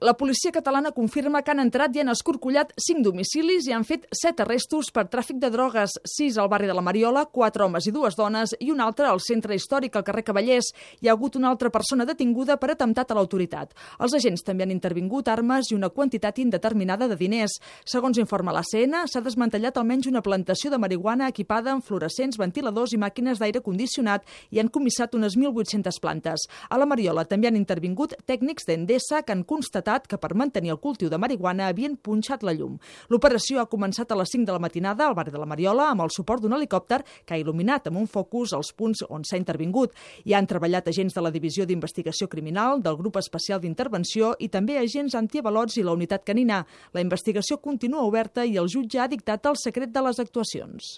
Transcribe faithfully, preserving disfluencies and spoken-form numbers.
La policia catalana confirma que han entrat i han escorcollat cinc domicilis i han fet set arrestos per tràfic de drogues, sis al barri de la Mariola, quatre homes i dues dones i un altre al centre històric al carrer Cavallers. Hi ha hagut una altra persona detinguda per atemptat a l'autoritat. Els agents també han intervingut armes i una quantitat indeterminada de diners. Segons informa l'A C N, s'ha desmantellat almenys una plantació de marihuana equipada amb fluorescents, ventiladors i màquines d'aire condicionat i han comissat unes mil vuit-centes plantes. A la Mariola també han intervingut tècnics d'Endesa que han constatat que per mantenir el cultiu de marihuana havien punxat la llum. L'operació ha començat a les cinc de la matinada al barri de la Mariola amb el suport d'un helicòpter que ha il·luminat amb un focus els punts on s'ha intervingut. Hi han treballat agents de la Divisió d'Investigació Criminal, del Grup Especial d'Intervenció i també agents antiavalots i la unitat canina. La investigació continua oberta i el jutge ha dictat el secret de les actuacions.